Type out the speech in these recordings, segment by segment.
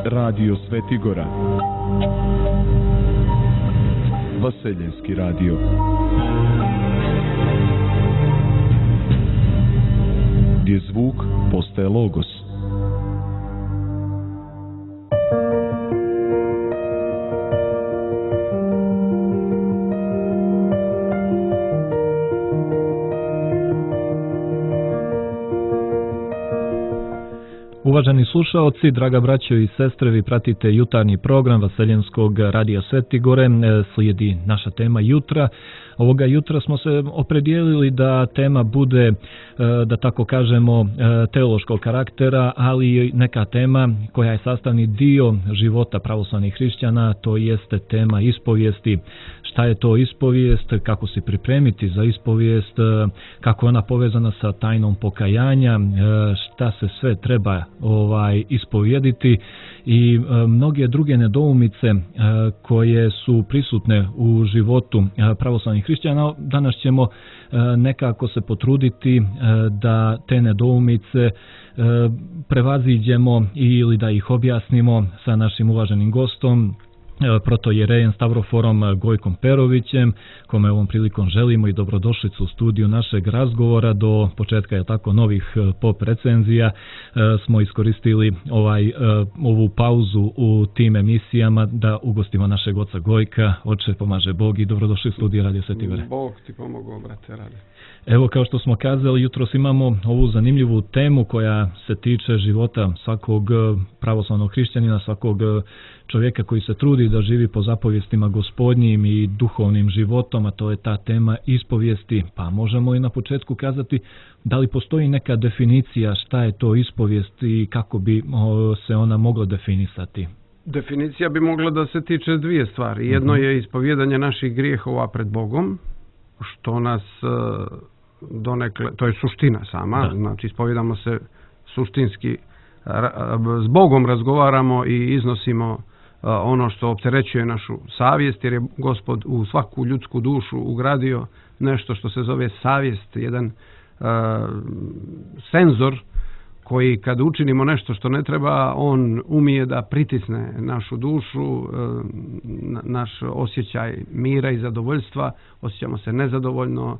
Radio Svetigora, Vaseljenski radio. Gdje zvuk postaje logos. Uvaženi slušaoci, draga braćo i sestre, vi pratite jutarnji program Vaseljenskog radija Svetigore. Slijedi naša tema jutra. Ovoga jutra smo se opredijelili da tema bude, da tako kažemo, teološkog karaktera, ali i neka tema koja je sastavni dio života pravoslavnih hrišćana, to jeste tema ispovijesti. Šta je to ispovijest, kako se pripremiti za ispovijest, kako je ona povezana sa tajnom pokajanja, šta se sve treba ispovijediti i mnoge druge nedoumice koje su prisutne u životu pravoslavnih hrišćana. Danas ćemo nekako se potruditi da te nedoumice prevaziđemo ili da ih objasnimo sa našim uvaženim gostom, protojerejem Stavroforom Gojkom Perovićem, kome ovom prilikom želimo i dobrodošlicu u studiju našeg razgovora. Do početka je tako novih pop recenzija smo iskoristili ovu pauzu u tim emisijama da ugostimo našeg oca Gojka. Oče, pomaže Bog i dobrodošli u studiju Radio Svetigore. Bog ti pomogao, brate, radi. Evo, kao što smo kazali, jutros imamo ovu zanimljivu temu koja se tiče života svakog pravoslavnog hrišćanina, svakog čovjeka koji se trudi da živi po zapovjestima Gospodnjim i duhovnim životom, a to je ta tema ispovijesti. Pa možemo i na početku kazati da li postoji neka definicija šta je to ispovijest i kako bi se ona mogla definisati? Definicija bi mogla da se tiče dvije stvari. Jedno je ispovjedanje naših grijehova pred Bogom, što nas donekle, to je suština sama, znači ispovjedamo se suštinski, s Bogom razgovaramo i iznosimo ono što opterećuje našu savjest, jer je Gospod u svaku ljudsku dušu ugradio nešto što se zove savjest, jedan senzor koji kad učinimo nešto što ne treba, on umije da pritisne našu dušu, naš osjećaj mira i zadovoljstva, osjećamo se nezadovoljno,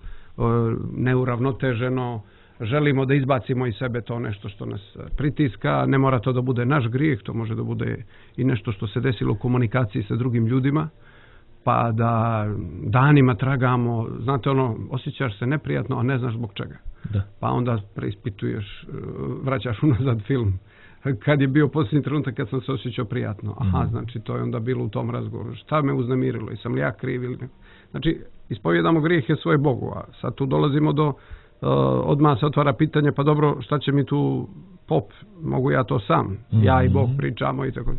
neuravnoteženo, želimo da izbacimo iz sebe to nešto što nas pritiska. Ne mora to da bude naš grijeh, to može da bude i nešto što se desilo u komunikaciji sa drugim ljudima, pa da danima tragamo, znate osjećaš se neprijatno, a ne znaš zbog čega. Da. Pa onda preispituješ, vraćaš unazad film. Kad je bio posljednji trenutak kad sam se osjećao prijatno? Aha, znači to je onda bilo u tom razgovoru. Šta me uznemirilo? Jesam li ja kriv ili ne? Znači, ispovjedamo grijehe svoje Bogu, a sad tu dolazimo do odmah se otvara pitanje, pa dobro, šta će mi tu pop, mogu ja to sam, ja i Bog pričamo i tako.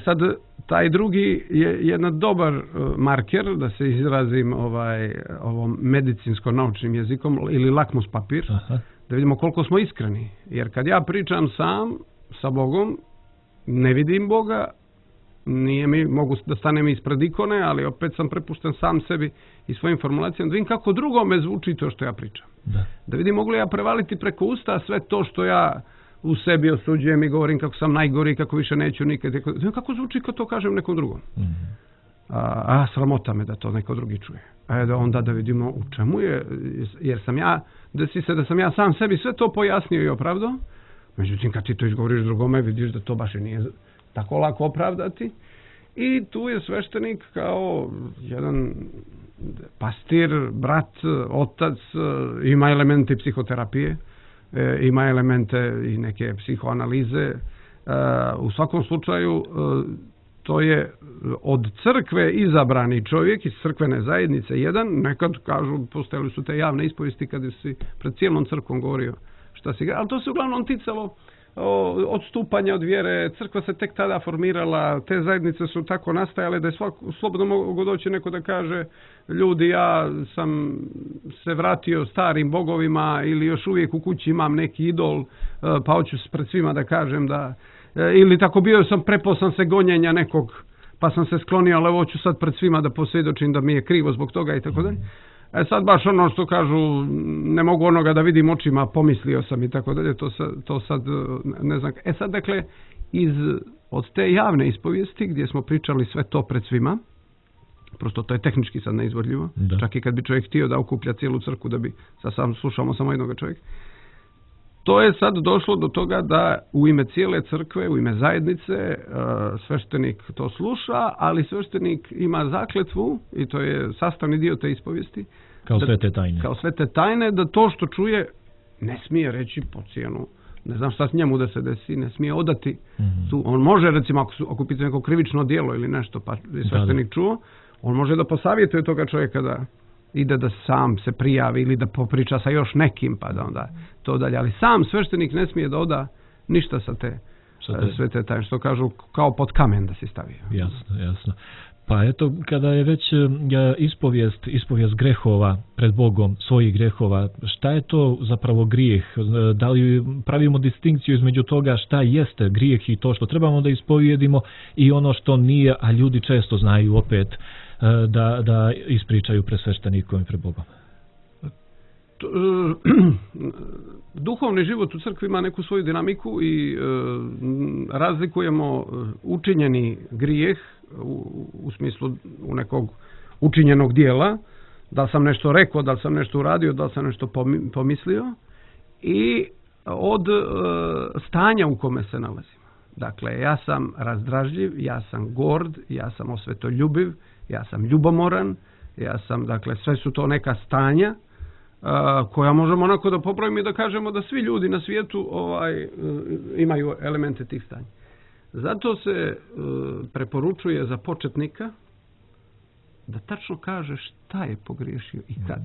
Sad, taj drugi je jedan dobar marker, da se izrazim ovom medicinsko-naučnim jezikom, ili lakmus papir, da vidimo koliko smo iskreni. Jer kad ja pričam sam sa Bogom, ne vidim Boga, nije mi, mogu da stanem ispred ikone, ali opet sam prepušten sam sebi i svojim formulacijama, da vidim kako drugome zvuči to što ja pričam. Da vidim mogu li ja prevaliti preko usta sve to što ja u sebi osuđujem i govorim kako sam najgori, kako više neću nikad. Kako zvuči kad to kažem nekom drugom? Sramota me da to neko drugi čuje. Onda da vidimo u čemu je, jer sam ja, desi se da sam ja sam sebi sve to pojasnio i opravdao. Međutim, kad ti to izgovoriš drugome, vidiš da to baš i nije tako lako opravdati. I tu je sveštenik kao jedan pastir, brat, otac, ima elemente psihoterapije, ima elemente i neke psihoanalize. U svakom slučaju to je od crkve izabrani čovjek iz crkvene zajednice jedan. Nekad kažu, postojali su te javne ispovijesti kada si pred cijelom crkvom govorio šta si, ali to se uglavnom ticalo odstupanja od vjere. Crkva se tek tada formirala, te zajednice su tako nastajale da je slobodno mogu doći neko da kaže, ljudi, ja sam se vratio starim bogovima ili još uvijek u kući imam neki idol, pa hoću pred svima da kažem da, ili tako bio sam, prepao sam se gonjenja nekog, pa sam se sklonio, ali hoću sad pred svima da posvjedočim da mi je krivo zbog toga i tako dalje. Sad baš ono što kažu, ne mogu onoga da vidim očima, pomislio sam i tako dalje, to sad ne znam. Sad dakle, od te javne ispovijesti gdje smo pričali sve to pred svima, prosto to je tehnički sad neizvodljivo, čak i kad bi čovjek htio da okuplja cijelu crkvu da bi sad slušamo samo jednog čovjeka, to je sad došlo do toga da u ime cijele crkve, u ime zajednice, sveštenik to sluša, ali sveštenik ima zakletvu, i to je sastavni dio te ispovijesti, kao sve te tajne, da to što čuje ne smije reći po cijenu, ne znam šta s njemu da se desi, ne smije odati. On može, recimo, ako pita neko krivično djelo ili nešto, pa je sveštenik čuo, on može da posavjetuje toga čovjeka da ide da sam se prijavi ili da popriča sa još nekim, pa da onda to dalje. Ali sam sveštenik ne smije da oda ništa sa te sve te tajne, što kažu, kao pod kamen da se stavi. Jasno. Pa eto, kada je već ispovijest grehova pred Bogom, svojih grehova, šta je to zapravo grijeh? Da li pravimo distinkciju između toga šta jeste grijeh i to što trebamo da ispovijedimo i ono što nije, a ljudi često znaju opet da ispričaju pred sveštenikom i pred Bogom? Duhovni život u crkvi ima neku svoju dinamiku i razlikujemo učinjeni grijeh u smislu u nekog učinjenog dijela, da li sam nešto rekao, da li sam nešto uradio, da li sam nešto pomislio, i od stanja u kome se nalazim. Dakle, ja sam razdražljiv, ja sam gord, ja sam osvetoljubiv, ja sam ljubomoran, ja sam, dakle, sve su to neka stanja koja možemo onako da popravimo i da kažemo da svi ljudi na svijetu imaju elemente tih stanja. Zato se preporučuje za početnika da tačno kaže šta je pogriješio i kad.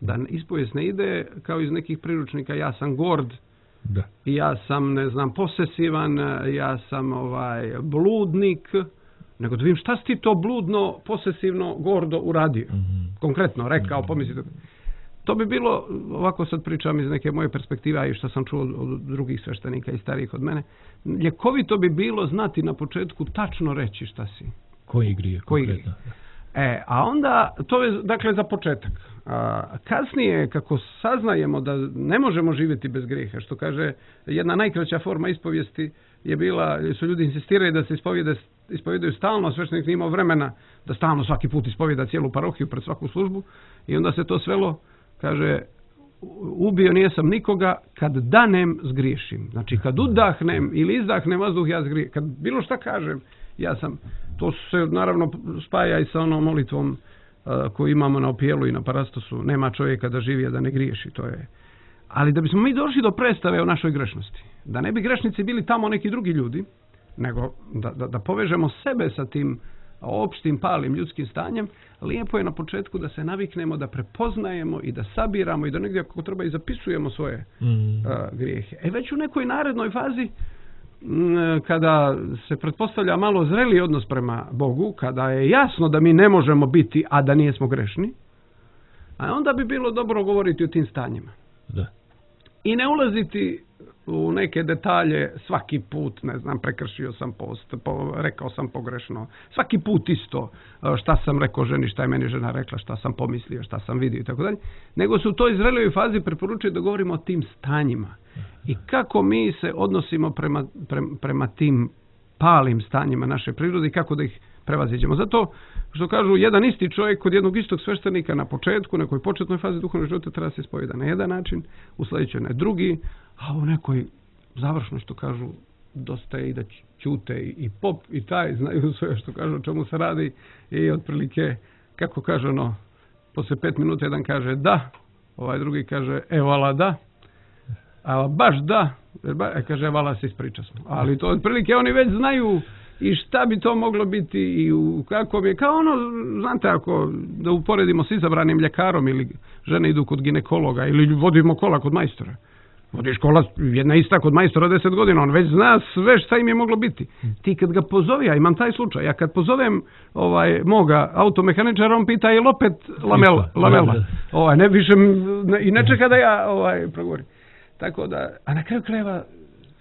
Da ispovijest ne ide kao iz nekih priručnika, ja sam gord, ja sam, ne znam, posesivan, ja sam bludnik, nego da vidim šta si ti to bludno, posesivno, gordo uradio. Konkretno rekao, pomislite. To bi bilo, ovako sad pričam iz neke moje perspektive, a i što sam čuo od drugih sveštenika i starijih od mene, ljekovito bi bilo znati na početku tačno reći šta si. Koji grije? A onda, to je dakle za početak. Kasnije, kako saznajemo da ne možemo živjeti bez grijeha, što kaže jedna najkraća forma ispovijesti je bila, su ljudi insistirali da se ispovjedaju stalno, a sveštenik nije imao vremena da stalno svaki put ispovjeda cijelu parohiju pred svaku službu, i onda se to svelo, kaže, ubio nijesam nikoga, kad danem zgriješim. Znači, kad udahnem ili izdahnem vazduh, ja zgriješim. Kad bilo šta kažem, ja sam, to se naravno spaja i sa onom molitvom koju imamo na opijelu i na parastosu, nema čovjeka da živi, a da ne griješi, to je. Ali da bismo mi došli do predstave o našoj grešnosti, da ne bi grešnici bili tamo neki drugi ljudi, nego da povežemo sebe sa tim opštim palim ljudskim stanjem, lijepo je na početku da se naviknemo, da prepoznajemo i da sabiramo i da negdje ako treba i zapisujemo svoje grijehe. Već u nekoj narednoj fazi, kada se pretpostavlja malo zreliji odnos prema Bogu, kada je jasno da mi ne možemo biti, a da nijesmo grešni, a onda bi bilo dobro govoriti o tim stanjima. Da. I ne ulaziti u neke detalje svaki put, ne znam, prekršio sam post, rekao sam pogrešno, svaki put isto, šta sam rekao ženi, šta je meni žena rekla, šta sam pomislio, šta sam vidio i tako dalje, nego se u toj zrelijoj fazi preporučuje da govorimo o tim stanjima i kako mi se odnosimo prema tim palim stanjima naše prirode i kako da ih prevaziđemo. Zato što kažu, jedan isti čovjek kod jednog istog sveštenika na početku, nekoj početnoj fazi duhovnog života treba se ispovjeda na jedan način, u sljedećoj na drugi, a u nekoj završnoj, što kažu, dosta je i da ćute i pop i taj znaju sve što kažu o čemu se radi i otprilike, kako kaže ono, poslije 5 minuta jedan kaže da, ovaj drugi kaže vala da, a baš da, kaže vala se ispriča smo. Ali to otprilike oni već znaju i šta bi to moglo biti i kako bi, kao ono, znate, ako da uporedimo s izabranim ljekarom ili žene idu kod ginekologa ili vodimo kola kod majstora. Vodiš kola, jedna ista kod majstora 10 godina, on već zna sve šta im je moglo biti. Ti kad ga pozove, ja imam taj slučaj, ja kad pozovem moga automehaničara, on pita je li opet lamela. Ne više i ne čeka da ja progovorim. Tako da, a na kraju krajeva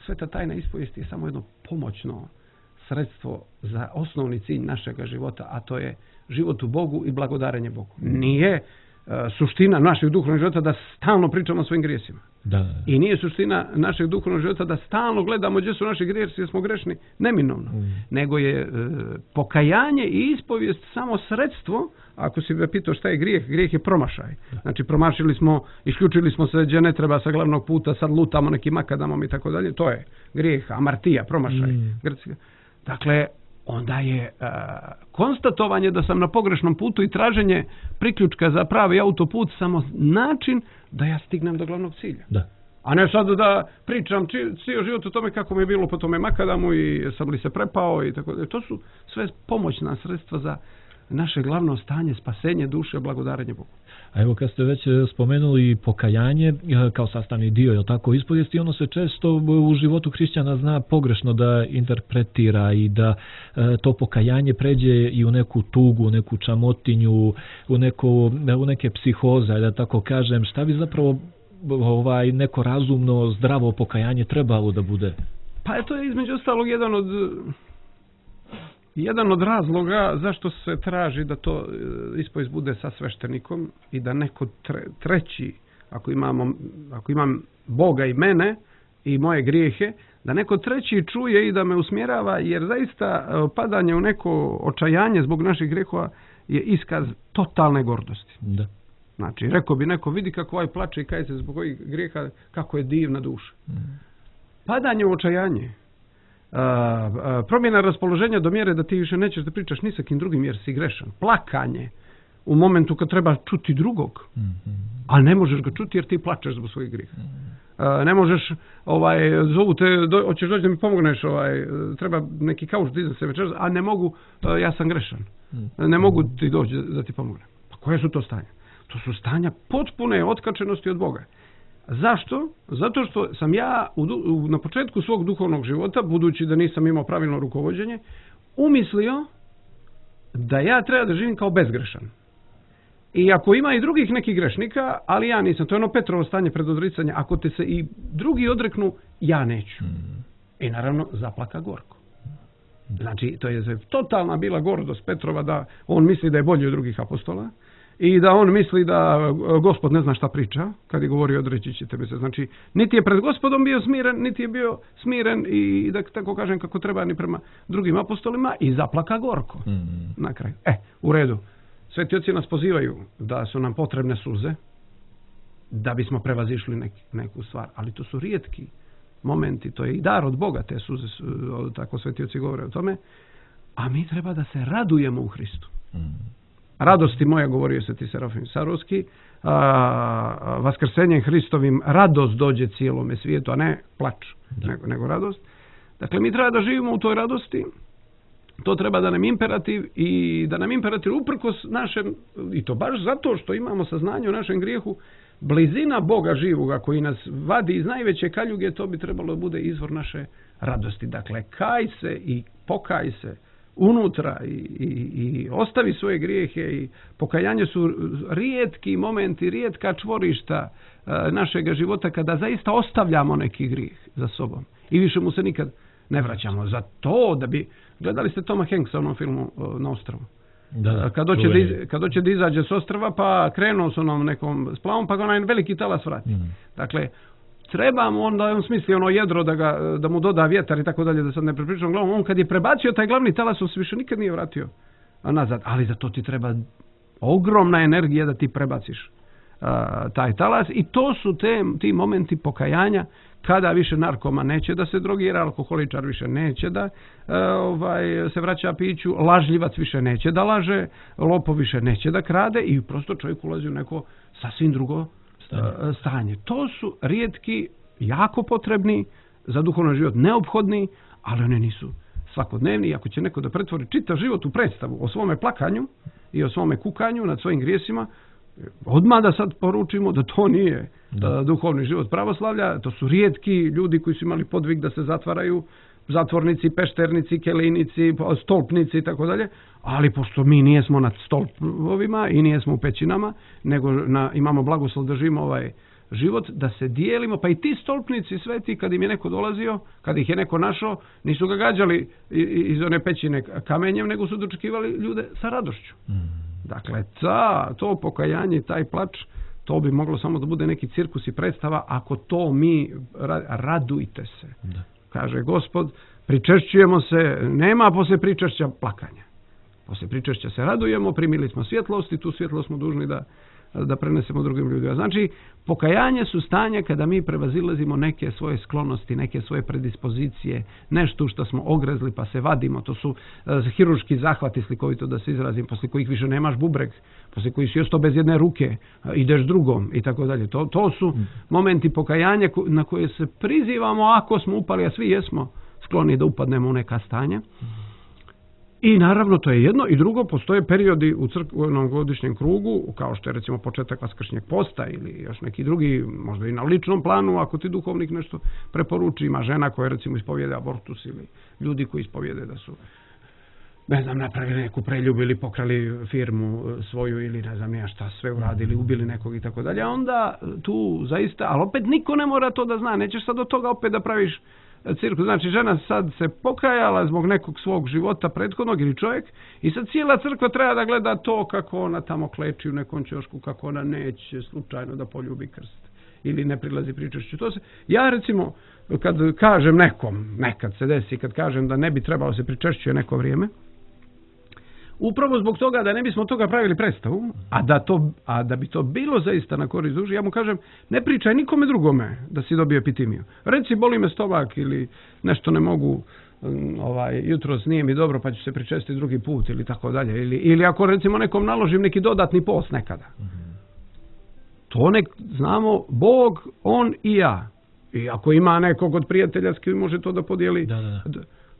sveta tajna ispovijesti je samo jedno pomoćno sredstvo za osnovni cilj našega života, a to je život u Bogu i blagodarenje Bogu. Nije suština našeg duhovnog života da stalno pričamo o svojim grijesima. Da. I nije suština našeg duhovnog života da stalno gledamo gdje su naši grijesi, jer smo grešni, neminovno. Nego je pokajanje i ispovijest samo sredstvo. Ako si me pitao šta je grijeh, grijeh je promašaj. Znači promašili smo, isključili smo se gdje ne treba sa glavnog puta, sad lutamo nekim makadamom i tako dalje. To je grijeh, amartija, promašaj. Dakle, onda je konstatovanje da sam na pogrešnom putu i traženje priključka za pravi autoput samo način da ja stignem do glavnog cilja. Da. A ne sad da pričam cijeli život o tome kako mi je bilo po tome makadamu i sam li se prepao i tako dalje. To su sve pomoćna sredstva za naše glavno stanje, spasenje duše, blagodarenje Bogu. A evo kad ste već spomenuli pokajanje kao sastavni dio, je tako, ispovijesti, ono se često u životu hrišćana zna pogrešno da interpretira i da to pokajanje pređe i u neku tugu, u neku čamotinju, u neke psihoze, da tako kažem. Šta bi zapravo neko razumno, zdravo pokajanje trebalo da bude? Pa to je između ostalog jedan od razloga zašto se traži da to ispovijest bude sa sveštenikom i da neko treći, ako imam Boga i mene i moje grijehe, da neko treći čuje i da me usmjerava, jer zaista padanje u neko očajanje zbog naših grijehova je iskaz totalne gordosti. Da. Znači, rekao bi neko, vidi kako ovaj plače i kaje se zbog ovih grijeha, kako je divna duša. Padanje u očajanje, promjena raspoloženja do mjere da ti više nećeš da pričaš ni sa kim drugim jer si grešan. Plakanje u momentu kad treba čuti drugog, ali ne možeš ga čuti jer ti plačeš zbog svojih grijeha. Ne možeš, zovu te, hoćeš doći da mi pomogneš, treba neki kauč da iza se večeras, a ne mogu, ja sam grešan. Ne mogu ti doći da ti pomognem. Pa koje su to stanja? To su stanja potpune otkačenosti od Boga. Zašto? Zato što sam ja na početku svog duhovnog života, budući da nisam imao pravilno rukovođenje, umislio da ja treba da živim kao bezgrešan. I ako ima i drugih nekih grešnika, ali ja nisam, to je ono Petrovo stanje pred odricanje, ako te se i drugi odreknu, ja neću. I naravno zaplaka gorko. Znači, to je totalna bila gordost Petrova da on misli da je bolji od drugih apostola. I da on misli da Gospod ne zna šta priča, kad je govorio odreći ćete mi se. Znači, niti je pred Gospodom bio smiren, niti je bio smiren i da tako kažem kako treba ni prema drugim apostolima i zaplaka gorko na kraju. U redu. Sveti oci nas pozivaju da su nam potrebne suze da bismo prevazišli neku stvar, ali to su rijetki momenti, to je i dar od Boga, te suze, tako sveti oci govore o tome, a mi treba da se radujemo u Hristu. Radosti moja, govorio Sveti Serafim Sarovski, vaskrsenjem Hristovim radost dođe cijelome svijetu, a ne plač, nego radost. Dakle, mi treba da živimo u toj radosti, to treba da nam imperativ i da nam imperativ uprkos našem, i to baš zato što imamo saznanje o našem grijehu, blizina Boga živoga koji nas vadi iz najveće kaljuge, to bi trebalo da bude izvor naše radosti. Dakle, kaj se i pokaj se unutra i ostavi svoje grijehe i pokajanje su rijetki momenti, rijetka čvorišta našega života kada zaista ostavljamo neki grijeh za sobom i više mu se nikad ne vraćamo. Za to da bi, gledali ste Toma Hanksa u onom filmu Na ostrvu? Kad hoće da izađe s ostrva pa krenuo s onom nekom splavom pa ga onaj veliki talas vrati. Dakle, trebamo onda, on smisli ono jedro da mu doda vjetar i tako dalje, da sad ne prepričam glavom. On kad je prebacio taj glavni talas, on se više nikad nije vratio nazad. Ali za to ti treba ogromna energija da ti prebaciš taj talas i to su ti momenti pokajanja kada više narkoman neće da se drogira, alkoholičar više neće da se vraća piću, lažljivac više neće da laže, lopov više neće da krade i prosto čovjek ulazi u neko sasvim drugo stanje. To su rijetki, jako potrebni za duhovni život, neophodni, ali oni nisu svakodnevni. I ako će neko da pretvori čitav život u predstavu o svome plakanju i o svome kukanju nad svojim grijesima, odmah da sad poručimo da to nije duhovni život pravoslavlja. To su rijetki ljudi koji su imali podvig da se zatvaraju, zatvornici, pešternici, kelinici, stolpnici i tako dalje, ali pošto mi nijesmo nad stolpovima i nijesmo u pećinama, nego imamo blagoslov da živimo ovaj život, da se dijelimo, pa i ti stolpnici sveti, kad im je neko dolazio, kad ih je neko našao, nisu ga gađali iz one pećine kamenjem, nego su dočekivali ljude sa radošću. Dakle, to pokajanje, taj plač, to bi moglo samo da bude neki cirkus i predstava, ako to mi radujte se. Da. Kaže Gospod, pričešćujemo se, nema posle pričešća plakanja. Posle pričešća se radujemo, primili smo svjetlost i tu svjetlost smo dužni da prenesemo drugim ljudima. Znači, pokajanje su stanja kada mi prevazilazimo neke svoje sklonosti, neke svoje predispozicije, nešto što smo ogrezli pa se vadimo. To su hirurški zahvati, slikovito da se izrazim, posle kojih više nemaš bubreg, posle kojih si ostao bez jedne ruke, ideš drugom i tako dalje. To su momenti pokajanja na koje se prizivamo ako smo upali, a svi jesmo skloni da upadnemo u neka stanja. I naravno to je jedno i drugo, postoje periodi u crkvenom godišnjem krugu, kao što je recimo početak Vaskršnjeg posta ili još neki drugi, možda i na ličnom planu, ako ti duhovnik nešto preporuči, ima žena koja recimo ispovjede abortus ili ljudi koji ispovjede da su, ne znam, napravili neku preljubu ili pokrali firmu svoju ili ne znam ja šta sve uradili, ubili nekog i tako dalje, onda tu zaista, ali opet niko ne mora to da zna, nećeš sad od toga opet da praviš cirkus. Znači žena sad se pokajala zbog nekog svog života prethodnog ili čovjek i sad cijela crkva treba da gleda to kako ona tamo kleči u nekom ćošku, kako ona neće slučajno da poljubi krst ili ne prilazi pričešću. Ja recimo kad kažem nekom, nekad se desi, kad kažem da ne bi trebalo se pričešćuje neko vrijeme, upravo zbog toga da ne bismo toga pravili predstavu, a da bi to bilo zaista na korist duši, ja mu kažem, ne pričaj nikome drugome da si dobio epitimiju. Reci, boli me stomak ili nešto ne mogu, jutros nije mi dobro pa ću se pričestiti drugi put ili tako dalje. Ili ako recimo nekom naložim neki dodatni post nekada. To nek znamo Bog, on i ja. I ako ima nekog od prijatelja s kim može to da podijeli.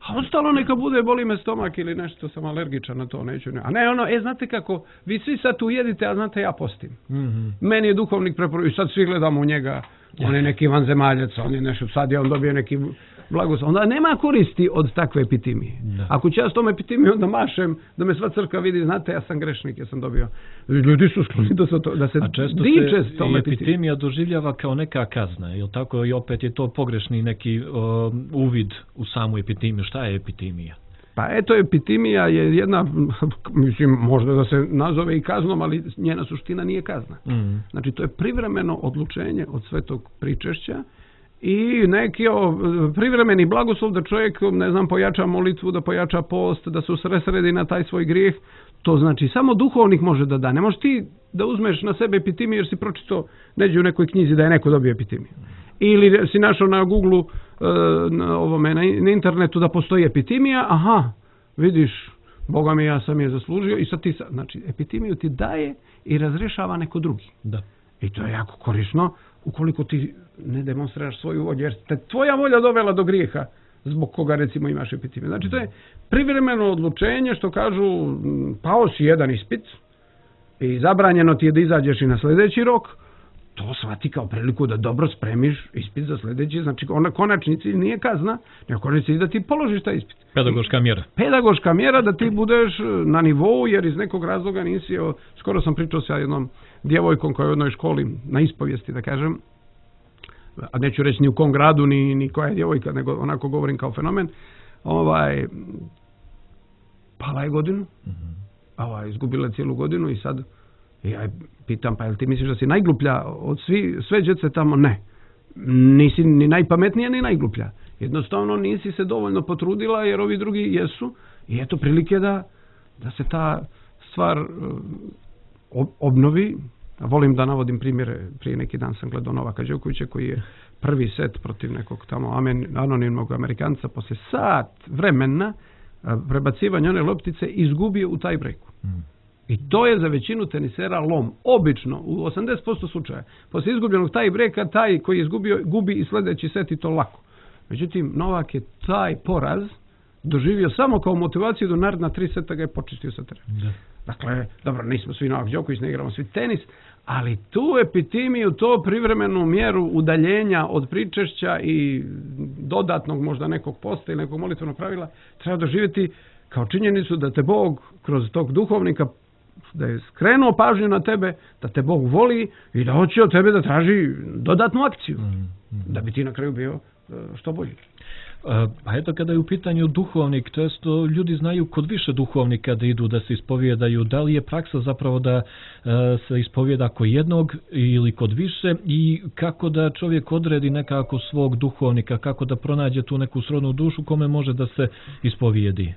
A ostalo neka bude, boli me stomak ili nešto, sam alergičan na to, neću. A ne ono, znate kako, vi svi sad tu jedite, a znate ja postim. Meni je duhovnik preporučio, i sad svi gledamo u njega, on je neki vanzemaljac, on je nešto, sad je on dobio neki blagoslov. Onda nema koristi od takve epitimije. Ako ću ja s tom epitimijem onda mašem, da me sva crkva vidi, znate, ja sam grešnik, ja sam dobio. Ljudi su skloni da se diče s tom epitimija doživljava kao neka kazna, jel tako? I opet je to pogrešni neki uvid u samu epitimiju. Šta je epitimija? Pa eto, epitimija je jedna, mislim, možda da se nazove i kaznom, ali njena suština nije kazna. Znači, to je privremeno odlučenje od svetog pričešća i neki privremeni blagoslov da čovjek, ne znam, pojača molitvu, da pojača post, da se usresredi na taj svoj grijeh. To znači samo duhovnik može da da. Ne možeš ti da uzmeš na sebe epitimiju jer si pročitao neđe u nekoj knjizi da je neko dobio epitimiju. Ili si našao na Google-u, na internetu da postoji epitimija, aha, vidiš, Boga mi, ja sam je zaslužio i sad ti, znači, epitimiju ti daje i razrješava neko drugi. Da. I to je jako korisno ukoliko ti ne demonstriraš svoju volju, jer te tvoja volja dovela do grijeha zbog koga recimo imaš epitimiju. Znači to je privremeno odlučenje, što kažu, pao si jedan ispit i zabranjeno ti je da izađeš i na sljedeći rok, to shvati kao priliku da dobro spremiš ispit za sljedeći, znači ona konačni cilj nije kazna, nego konačni cilj da ti položiš taj ispit. Pedagoška mjera. Pedagoška mjera da ti budeš na nivou, jer iz nekog razloga nisi, skoro sam pričao sa jednom djevojkom koja je u jednoj školi na ispovijesti, da kažem, a neću reći ni u kom gradu, ni koja je djevojka, nego onako govorim kao fenomen, pala je godinu, izgubila je cijelu godinu i sad ja je pitam, pa jel ti misliš da si najgluplja od sve djece tamo? Ne. Nisi ni najpametnija ni najgluplja. Jednostavno nisi se dovoljno potrudila jer ovi drugi jesu i eto prilike da se ta stvar obnovi. Volim da navodim primjere. Prije neki dan sam gledao Novaka Đokovića koji je prvi set protiv nekog tamo anonimnog Amerikanca posle sat vremena prebacivanja one loptice izgubio u taj breku. I to je za većinu tenisera lom. Obično, u 80% slučaja, poslije izgubljenog taj breka, taj koji je izgubio, gubi i sljedeći set i to lako. Međutim, Novak je taj poraz doživio samo kao motivaciju do naredna 3 seta ga je počistio sa terena. Dakle, dobro, nismo svi Novak Đoković, ne igramo svi tenis, ali tu epitimiju, to privremenu mjeru udaljenja od pričešća i dodatnog možda nekog posta ili nekog molitvenog pravila treba doživjeti kao činjenicu da te Bog kroz tog duhovnika da je skrenuo pažnju na tebe, da te Bog voli i da hoće od tebe da traži dodatnu akciju, da bi ti na kraju bio što bolji. A eto kada je u pitanju duhovnik, često ljudi znaju kod više duhovnika da idu da se ispovjedaju, da li je praksa zapravo da se ispovjeda kod jednog ili kod više i kako da čovjek odredi nekako svog duhovnika, kako da pronađe tu neku srodnu dušu kome može da se ispovijedi?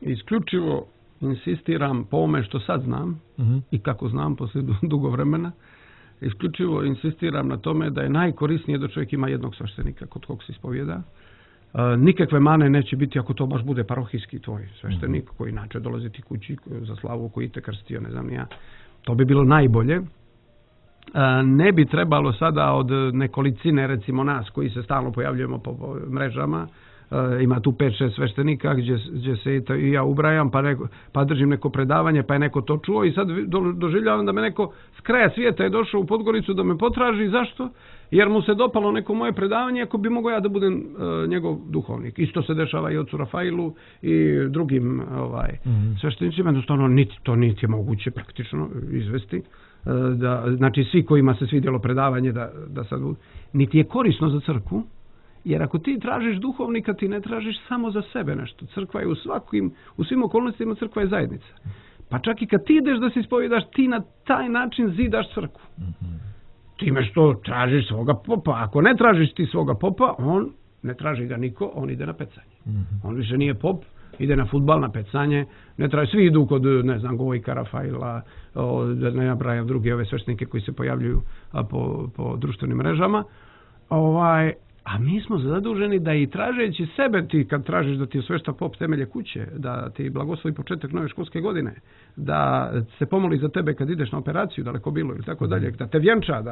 Isključivo insistiram po ome što sad znam i kako znam poslije dugo vremena, isključivo insistiram na tome da je najkorisnije da čovjek ima jednog sveštenika kod kog se ispovjeda. Nikakve mane neće biti ako to baš bude parohijski tvoj sveštenik koji inače dolazi ti kući za slavu, koji te krstio, ne znam ni ja. To bi bilo najbolje. Ne bi trebalo sada od nekolicine, recimo nas koji se stalno pojavljujemo po mrežama, ima tu 5-6 sveštenika gdje se i ja ubrajam, pa držim neko predavanje, pa je neko to čuo i sad doživljavam da me neko s kraja svijeta je došao u Podgoricu da me potraži. Zašto? Jer mu se dopalo neko moje predavanje, ako bi mogao ja da budem njegov duhovnik. Isto se dešava i ocu Rafailu i drugim sveštenicima. Jednostavno, to niti je moguće praktično izvesti. Znači, svi kojima se svidjelo predavanje da sad niti je korisno za crkvu. Jer ako ti tražiš duhovnika, ti ne tražiš samo za sebe nešto. Crkva je u svim okolnostima crkva je zajednica. Pa čak i kad ti ideš da se ispovjedaš, ti na taj način zidaš crkvu. Time što tražiš svoga popa. Ako ne tražiš ti svoga popa, on ne traži ga niko, on ide na pecanje. On više nije pop, ide na fudbal, na pecanje. Svi idu kod, ne znam, Gojka, Rafaila, da ne nabrajam druge ove sveštenike koji se pojavljuju po društvenim mrežama. A mi smo zaduženi da i tražeći sebe, ti kad tražiš da ti osvešta pop temelje kuće, da ti blagoslovi početak nove školske godine, da se pomoli za tebe kad ideš na operaciju, daleko bilo ili tako dalje, da te vjenča,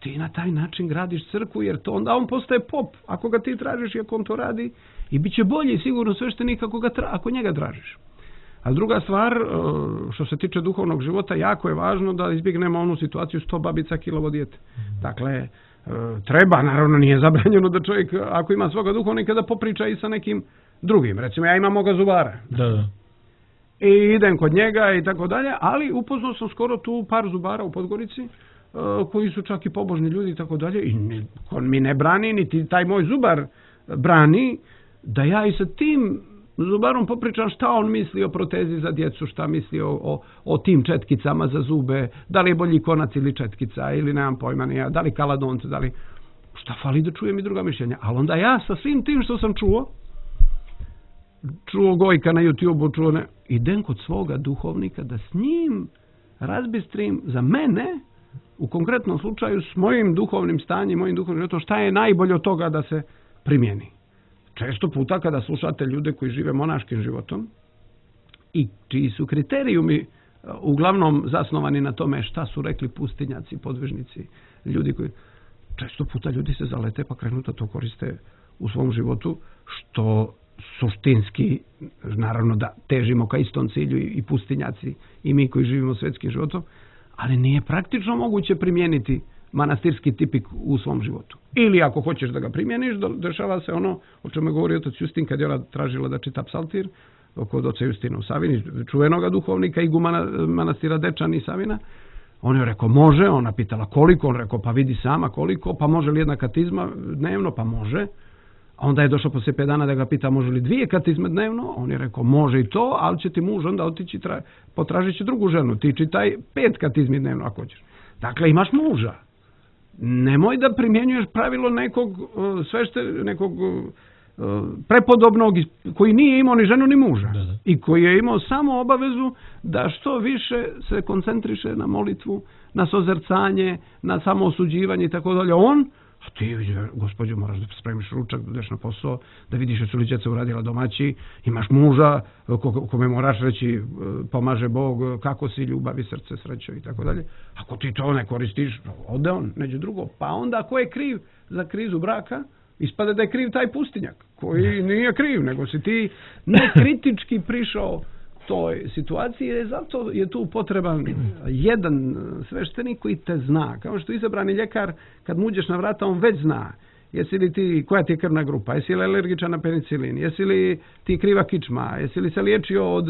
ti na taj način gradiš crkvu, jer to onda on postaje pop, ako ga ti tražiš i ako on to radi, i bit će bolji sigurno sveštenik ako njega tražiš. A druga stvar, što se tiče duhovnog života, jako je važno da izbjegnemo onu situaciju 100 babica kilovo dijete. Dakle, treba, naravno nije zabranjeno da čovjek, ako ima svoga duhovnika, da popriča i sa nekim drugim. Recimo, ja imam moga zubara. Da. I idem kod njega i tako dalje, ali upoznao sam skoro tu par zubara u Podgorici, koji su čak i pobožni ljudi i tako dalje, i on mi ne brani, niti taj moj zubar brani, da ja i sa tim zubarom popričam šta on misli o protezi za djecu, šta misli o tim četkicama za zube, da li je bolji konac ili četkica, ili nemam pojma, da li kaladonce, da li... Šta fali da čujem i druga mišljenja. Ali onda ja sa svim tim što sam čuo Gojka na YouTube-u, idem kod svoga duhovnika da s njim razbistrim za mene, u konkretnom slučaju s mojim duhovnim stanjem, mojim duhovnim životom, šta je najbolje od toga da se primjeni. Često puta kada slušate ljude koji žive monaškim životom i čiji su kriterijumi uglavnom zasnovani na tome šta su rekli pustinjaci, podvižnici, ljudi koji... Često puta ljudi se zalete pa krenu da to koriste u svom životu, što suštinski, naravno da težimo ka istom cilju i pustinjaci i mi koji živimo svjetskim životom, ali nije praktično moguće primijeniti manastirski tipik u svom životu. Ili ako hoćeš da ga primjeniš, dešava se ono o čemu je govorio otac Justin kad je ona tražila da čita psaltir kod oca Justina u Savini, čuvenoga duhovnika igumana manastira Dečani i Savina. On je rekao može, ona pitala koliko, on rekao pa vidi sama koliko, pa može li jedna katizma dnevno, pa može. A onda je došao poslije 5 dana da ga pita može li 2 katizme dnevno, on je rekao može i to, ali će ti muž onda otići, potražit će drugu ženu, ti čitaj 5 katizmi dnevno ako hoćeš. Dakle, imaš muža. Nemoj da primjenjuješ pravilo nekog prepodobnog koji nije imao ni ženu ni muža. Da. I koji je imao samo obavezu da što više se koncentriše na molitvu, na sozercanje, na samoosuđivanje i tako dalje. A ti, gospođo, moraš da spremiš ručak, da ideš na posao, da vidiš što li djeca uradila domaći, imaš muža kome moraš reći pomaže Bog, kako si, ljubavi, srce, srećo i tako dalje. Ako ti to ne koristiš, ode on, neđe drugo. Pa onda ko je kriv za krizu braka? Ispade da je kriv taj pustinjak, koji nije kriv, nego si ti nekritički prišao toj situaciji, zato je tu potreban jedan sveštenik koji te zna. Kao što izabrani ljekar, kad mu uđeš na vrata, on već zna. Jesi li ti, koja ti je krvna grupa, jesi li alergičan na penicilin, jesi li ti kriva kičma, jesi li se liječio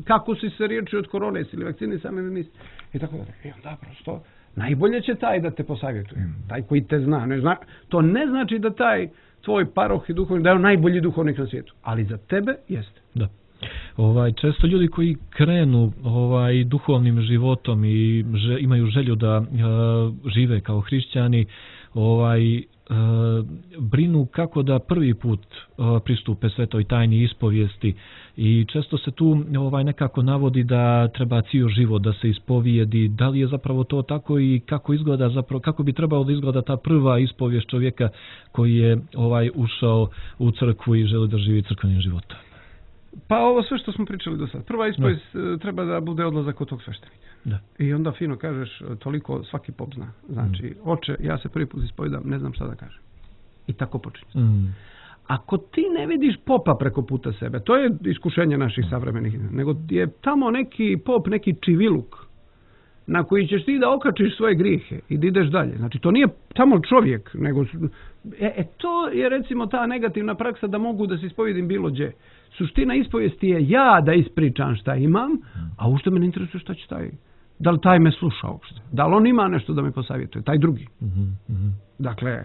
kako si se liječio od korone, jesi li vakcinisan ili nisi, i tako dalje. I onda prosto najbolje će taj da te posavjetuje. Taj koji te zna. To ne znači da taj tvoj paroh i duhovnik da je on najbolji duhovnik na svijetu. Ali za tebe jeste. Da. Često ljudi koji krenu duhovnim životom i imaju želju da žive kao hrišćani, brinu kako da prvi put pristupe svetoj tajni ispovijesti i često se tu nekako navodi da treba cijeli život da se ispovijedi. Da li je zapravo to tako i kako izgleda zapravo, kako bi trebalo da izgleda ta prva ispovijest čovjeka koji je ušao u crkvu i želi da živi crkvenim životom? Pa ovo sve što smo pričali do sada. Prva ispovijest treba da bude odlazak kod tog sveštenika. Da. I onda fino kažeš, toliko svaki pop zna. Znači, oče, ja se prvi put ispovijedam, ne znam šta da kažem. I tako počinje. Ako ti ne vidiš popa preko puta sebe, to je iskušenje naših savremenih, nego je tamo neki pop, neki čiviluk na koji ćeš ti da okačiš svoje grijehe i da ideš dalje. Znači, to nije tamo čovjek, nego... to je recimo ta negativna praksa da mogu da se ispovijedim bilo gdje. Suština ispovijesti je ja da ispričam šta imam, a uopšte me ne interesuje šta će taj. Da li taj me sluša uopšte? Da li on ima nešto da me posavjetuje? Taj drugi. Dakle,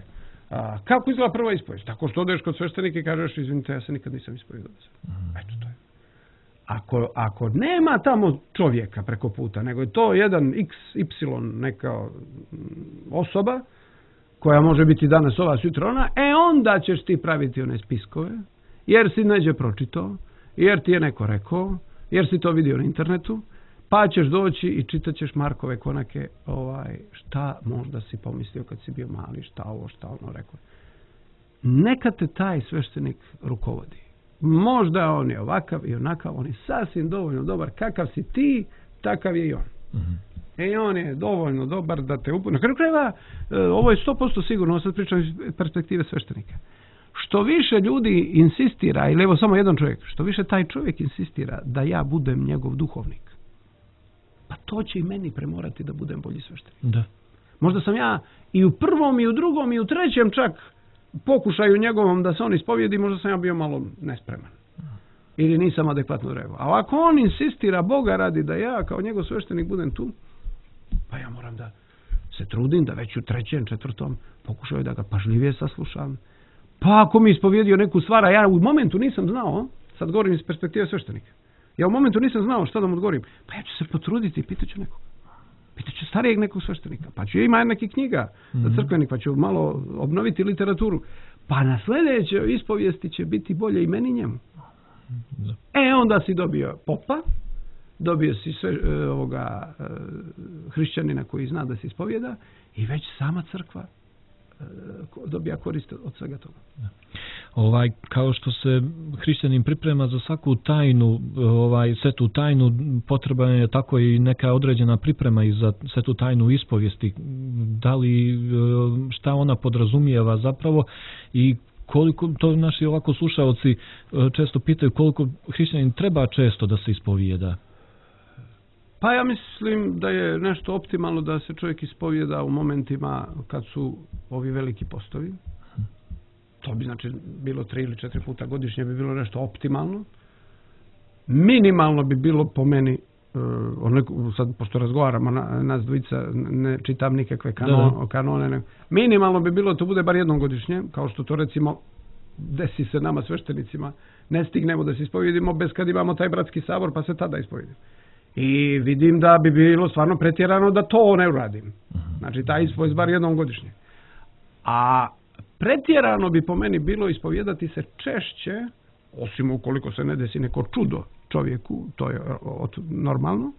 kako izgleda prva ispovijest? Tako što odeš kod sveštenika i kažeš, izvinite, ja se nikad nisam ispovijedao. Eto, to je. Ako nema tamo čovjeka preko puta, nego je to jedan XY neka osoba, koja može biti danas ova, sutra ona, onda ćeš ti praviti one spiskove, jer si neđe pročitao, jer ti je neko rekao, jer si to vidio na internetu, pa ćeš doći i čitat ćeš Markove konake, šta možda si pomislio kad si bio mali, šta ono rekao. Neka te taj sveštenik rukovodi. Možda on je ovakav i onakav, on je sasvim dovoljno dobar. Kakav si ti, takav je i on. I on je dovoljno dobar da te na kraju krajeva, ovo je 100% sigurno, sad pričam iz perspektive sveštenika. Što više ljudi insistira, ili evo samo jedan čovjek, što više taj čovjek insistira da ja budem njegov duhovnik, pa to će i meni premorati da budem bolji sveštenik. Da. Možda sam ja i u prvom, i u drugom, i u trećem čak pokušaju njegovom da se on ispovijedi, možda sam ja bio malo nespreman. Ili nisam adekvatno reagao. A ako on insistira, Boga radi da ja kao njegov sveštenik budem tu, pa ja moram da se trudim da već u trećem, četvrtom pokušaju da ga pažljivije saslušam. Pa ako mi ispovjedio neku stvar, a ja u momentu nisam znao, sad govorim iz perspektive sveštenika, ja u momentu nisam znao šta da mu odgovorim, pa ja ću se potruditi i pitaću nekog. Pitaću starijeg nekog sveštenika, pa ću imati nekih knjiga za crkvenik, pa ću malo obnoviti literaturu. Pa na sljedećoj ispovijesti će biti bolje i meni njemu. Onda si dobio popa, dobio si hrišćanina koji zna da se ispovijeda i već sama crkva dobija korist od svega toga. Kao što se hrišćanin priprema za svaku tajnu, svetu tajnu, potrebna je tako i neka određena priprema i za svetu tajnu ispovijesti. Da li, šta ona podrazumijeva zapravo i koliko, to naši ovako slušaoci često pitaju, koliko hrišćanin treba često da se ispovijeda? Pa ja mislim da je nešto optimalno da se čovjek ispovijeda u momentima kad su ovi veliki postovi. To bi znači bilo 3 ili 4 puta godišnje, bi bilo nešto optimalno. Minimalno bi bilo po meni, sad pošto razgovaramo nas dvojica, ne čitam nikakve kanone, minimalno bi bilo to bude bar jednom godišnje, kao što to recimo desi se nama sveštenicima, ne stignemo da se ispovijedimo bez kad imamo taj bratski sabor pa se tada ispovijedimo. I vidim da bi bilo stvarno pretjerano da to ne uradim. Znači taj ispovijest bar jednom godišnje. A pretjerano bi po meni bilo ispovijedati se češće, osim ukoliko se ne desi neko čudo čovjeku, to je normalno,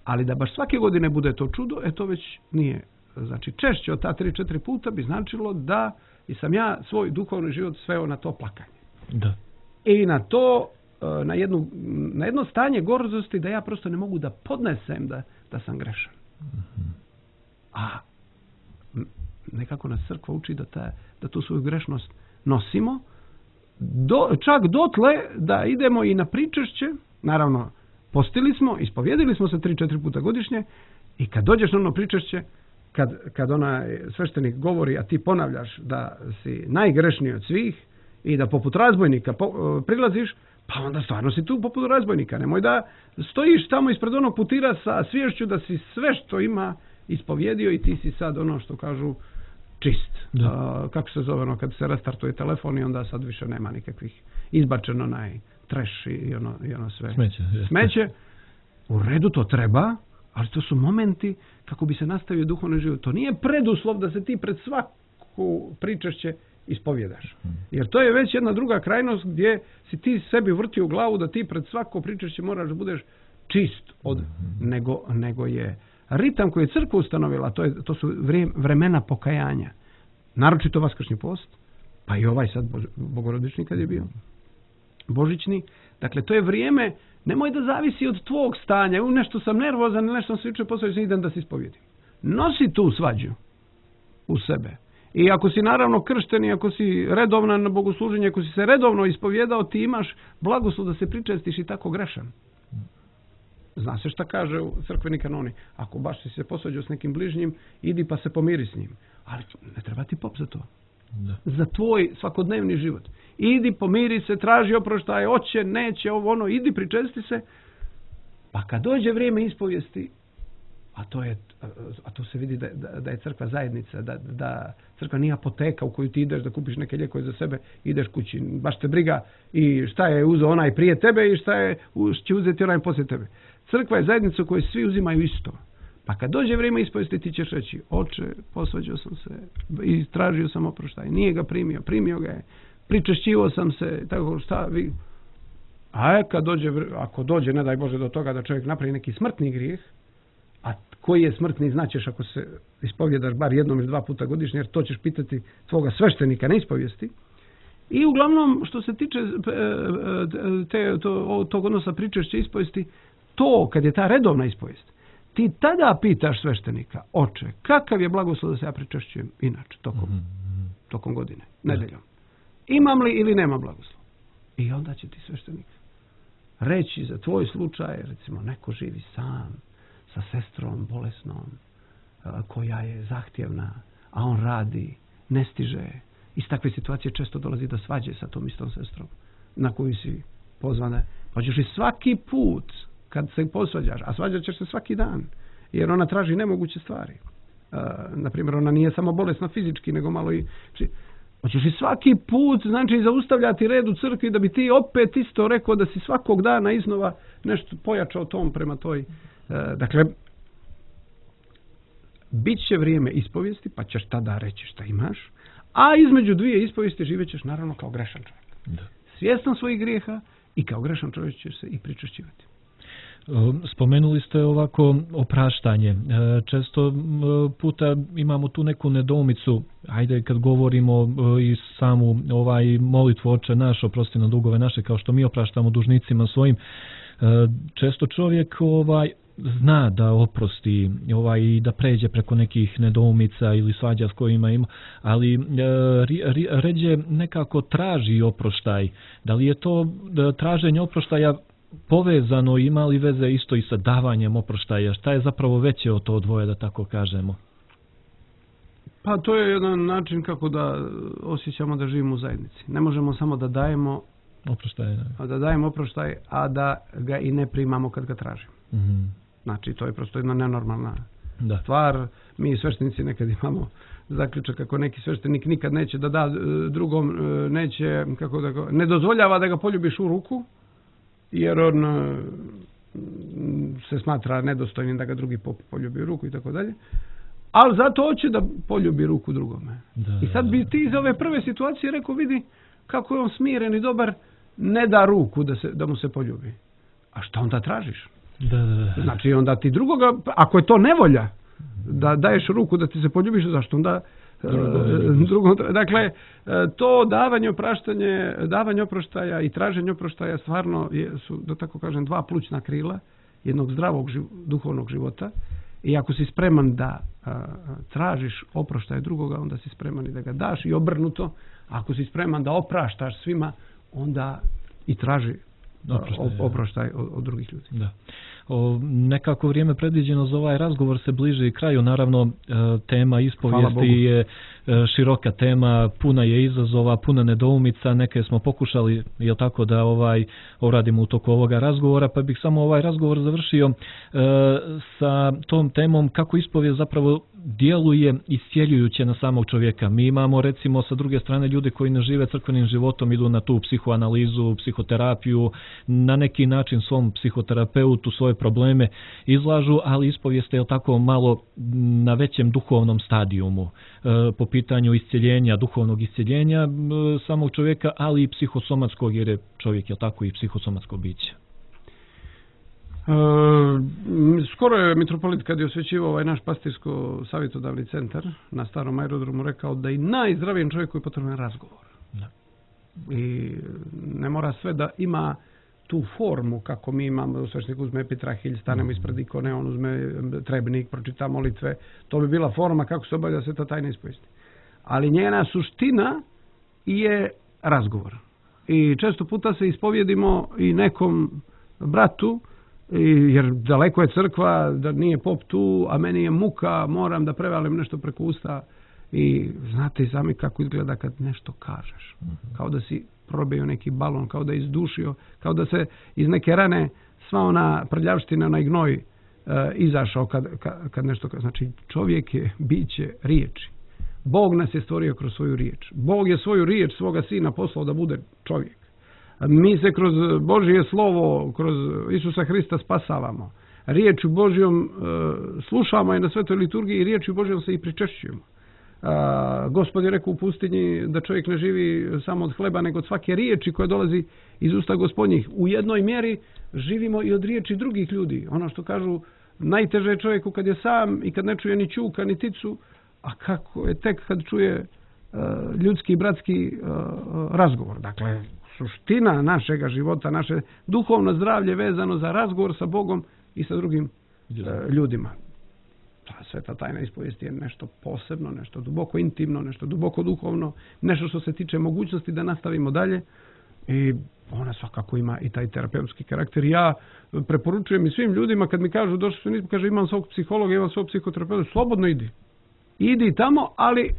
ali da baš svake godine bude to čudo, to već nije. Znači češće od ta 3-4 puta bi značilo da i sam ja svoj duhovni život sveo na to plakanje. Da. I na to, na jedno stanje gordosti da ja prosto ne mogu da podnesem da sam grešan. A nekako nas crkva uči da tu svoju grešnost nosimo, čak dotle da idemo i na pričešće, naravno postili smo, ispovjedili smo se 3-4 puta godišnje i kad dođeš na ono pričešće, kad onaj sveštenik govori, a ti ponavljaš da si najgrešniji od svih i da poput razbojnika prilaziš, pa onda stvarno si tu poput razbojnika. Nemoj da stojiš tamo ispred onog putira sa sviješću da si sve što ima ispovjedio i ti si sad ono što kažu čist. Kako se zove ono kad se restartuje telefon i onda sad više nema nikakvih izbačeno onaj trash i ono sve. Smeće. U redu to treba, ali to su momenti kako bi se nastavio duhovni život. To nije preduslov da se ti pred svaku pričašće ispovjedaš. Jer to je već jedna druga krajnost gdje si ti sebi vrtio u glavu da ti pred svako pričašće moraš da budeš čist nego je ritam koji je crkva ustanovila, to su vremena pokajanja. Naročito vaskršnji post, pa i ovaj sad bogorodični kad je bio, božićni. Dakle, to je vrijeme, nemoj da zavisi od tvog stanja, nešto sam nervozan, nešto sam se jučer posvađao, idem da se ispovjedim. Nosi tu svađu u sebe. I ako si naravno kršten i ako si redovan na bogosluženje, ako si se redovno ispovjedao, ti imaš blagoslov da se pričestiš i tako grešan. Zna se šta kaže u crkveni kanoni. Ako baš si se posvađao s nekim bližnjim, idi pa se pomiri s njim. Ali ne treba ti pop za to. Da. Za tvoj svakodnevni život. Idi, pomiri se, traži oproštaj, hoće, neće, ovo ono, idi, pričesti se. Pa kad dođe vrijeme ispovijesti, a to se vidi da je crkva zajednica, da crkva nije apoteka u koju ti ideš da kupiš neke lijekove za sebe, ideš kući, baš te briga i šta je uzeo onaj prije tebe i šta će uzeti onaj poslije tebe. Crkva je zajednica u kojoj svi uzimaju isto. Pa kad dođe vrijeme ispovijesti ti ćeš reći, oče, posvađao sam se i tražio sam oproštaj, nije ga primio ga je, pričešćivao sam se, tako šta vi... ako dođe, ne daj Bože, do toga da čovjek napravi neki smrtni grijeh, a koji je smrtni znaćeš ako se ispovjedaš bar jednom ili dva puta godišnje, jer to ćeš pitati tvoga sveštenika na ispovijesti. I uglavnom, što se tiče tog odnosa pričešće ispovijesti, to kad je ta redovna ispovijest, ti tada pitaš sveštenika, oče, kakav je blagoslov da se ja pričešćujem inače, tokom godine, nedeljom. Imam li ili nema blagoslov? I onda će ti sveštenik reći za tvoj slučaj, recimo neko živi sam, sa sestrom bolesnom, koja je zahtjevna, a on radi, ne stiže. Iz takve situacije često dolazi do svađe sa tom istom sestrom, na koju si pozvana. Hoćeš i svaki put, kad se posvađaš, a svađat ćeš se svaki dan, jer ona traži nemoguće stvari. Naprimjer, ona nije samo bolesna fizički, nego malo i... Hoćeš i svaki put, znači, zaustavljati red u crkvi da bi ti opet isto rekao da si svakog dana iznova nešto pojačao tom prema toj... Dakle, bit će vrijeme ispovijesti, pa ćeš tada reći šta imaš, a između dvije ispovijesti živećeš naravno kao grešan čovjek. Da. Svjestan svojih grijeha i kao grešan čovjek ćeš se i pričešćivati. Spomenuli ste ovako opraštanje. Često puta imamo tu neku nedoumicu, ajde kad govorimo i samu molitvu Oče naš, oprosti nam dugove naše, kao što mi opraštamo dužnicima svojim. Često čovjek zna da oprosti i da pređe preko nekih nedoumica ili svađa s kojima ima, ali ređe nekako traži oproštaj. Da li je to traženje oproštaja povezano, ima li veze isto i sa davanjem oproštaja? Šta je zapravo veće od to dvoje, da tako kažemo? Pa to je jedan način kako da osjećamo da živimo u zajednici. Ne možemo samo da dajemo oproštaj, a da ga i ne primamo kad ga tražimo. Mm-hmm. Znači, to je prosto jedna nenormalna stvar. Mi sveštenici nekad imamo zaključak kako neki sveštenik nikad neće da drugom, neće, ne dozvoljava da ga poljubiš u ruku, jer on se smatra nedostojnim da ga drugi poljubi u ruku i tako dalje. Ali zato hoće da poljubi ruku drugome. I sad bi ti iz ove prve situacije rekao, vidi kako je on smiren i dobar, ne da ruku da mu se poljubi. A šta onda tražiš? Znači onda ti drugoga, ako je to nevolja da daješ ruku da ti se poljubiš, zašto onda drugom? Dakle, to davanje oproštaja i traženje oproštaja stvarno su, da tako kažem, dva plućna krila jednog zdravog duhovnog života. I ako si spreman da tražiš oproštaj drugoga, onda si spreman i da ga daš, i obrnuto. Ako si spreman da opraštaš svima, onda i traži oproštaj od drugih ljudi. Da. Nekako vrijeme predviđeno za ovaj razgovor se bliži i kraju. Naravno, tema ispovijesti je široka tema, puna je izazova, puna nedoumica, neke smo pokušali, jel tako, da uradimo u toku ovoga razgovora, pa bih samo ovaj razgovor završio sa tom temom kako ispovijest zapravo djeluje iscjeljujuće na samog čovjeka. Mi imamo recimo sa druge strane ljude koji ne žive crkvenim životom, idu na tu psihoanalizu, psihoterapiju, na neki način svom psihoterapeutu svoje probleme izlažu, ali ispovijest je tako malo na većem duhovnom stadijumu po pitanju iscjeljenja, duhovnog iscjeljenja samog čovjeka, ali i psihosomatskog, jer je čovjek je tako i psihosomatsko biće. Skoro je mitropolit kad je osvećivao ovaj naš pastirsko savjetodavni centar na starom aerodromu rekao da i najzdravijem čovjeku je potreban razgovor. Da. I ne mora sve da ima tu formu kako mi imamo, svećenik uzme epitrahilj, stanemo ispred ikone, on uzme trebnik, pročita molitve. To bi bila forma kako se obavlja sveta tajna ispovijesti. Ali njena suština je razgovor. I često puta se ispovjedimo i nekom bratu, jer daleko je crkva, da nije pop tu, a meni je muka, moram da prevalim nešto preko usta. I znate i sami kako izgleda kad nešto kažeš. Kao da si probio neki balon, kao da je izdušio, kao da se iz neke rane sva ona prljavština, onaj gnoj izašao kad nešto kaže. Znači čovjek je biće riječi. Bog nas je stvorio kroz svoju riječ. Bog je svoju riječ svoga sina poslao da bude čovjek. Mi se kroz Božje slovo, kroz Isusa Hrista spasavamo. Riječju Božjom slušamo je na svetoj liturgiji i riječju Božjom se i pričešćujemo. Gospod je rekao u pustinji da čovjek ne živi samo od hleba, nego od svake riječi koja dolazi iz usta Gospodnjih. U jednoj mjeri živimo i od riječi drugih ljudi. Ono što kažu, najteže je čovjeku kad je sam i kad ne čuje ni ćuka, ni ticu, a kako je tek kad čuje ljudski, bratski razgovor. Dakle, suština našega života, naše duhovno zdravlje vezano za razgovor sa Bogom i sa drugim ljudima. Ta sveta tajna ispovijesti je nešto posebno, nešto duboko intimno, nešto duboko duhovno, nešto što se tiče mogućnosti da nastavimo dalje i ona svakako ima i taj terapeutski karakter. Ja preporučujem i svim ljudima kad mi kažu, došli su nismo, kaže imam svog psihologa, imam svog psihoterapeuta, slobodno idi. Idi tamo, ali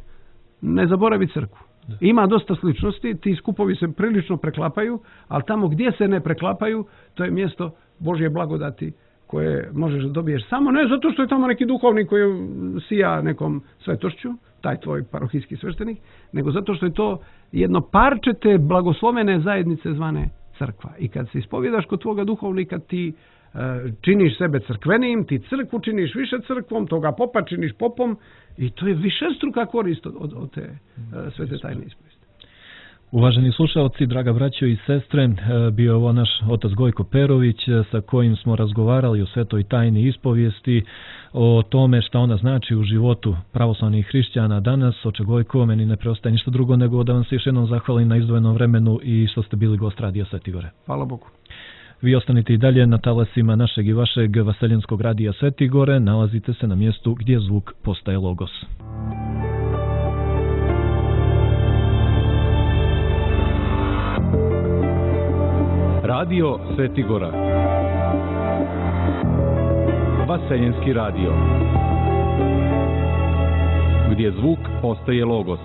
ne zaboravi crkvu. Ima dosta sličnosti, ti skupovi se prilično preklapaju, ali tamo gdje se ne preklapaju, to je mjesto Božje blagodati koje možeš da dobiješ samo ne zato što je tamo neki duhovnik koji sija nekom svetošću, taj tvoj parohijski sveštenik, nego zato što je to jedno parče te blagoslovene zajednice zvane crkva. I kad se ispovjedaš kod tvoga duhovnika, ti činiš sebe crkvenim, ti crkvu činiš više crkvom, toga popa činiš popom i to je višestruka korist od te svete tajne ispovijesti. Uvaženi slušalci, draga braćo i sestre, bio je ovo naš otac Gojko Perović sa kojim smo razgovarali o svetoj tajni ispovijesti, o tome šta ona znači u životu pravoslavnih hrišćana danas. Oče Gojko, meni ne preostaje ništa drugo nego da vam se još jednom zahvalim na izdvojenom vremenu i što ste bili gost Radija Sveti Gore. Hvala Bogu. Vi ostanite i dalje na talasima našeg i vašeg vaseljenskog Radija Sveti Gore, nalazite se na mjestu gdje zvuk postaje logos. Radio Sveti Gora. Vaseljenski radio. Gdje zvuk postaje logos.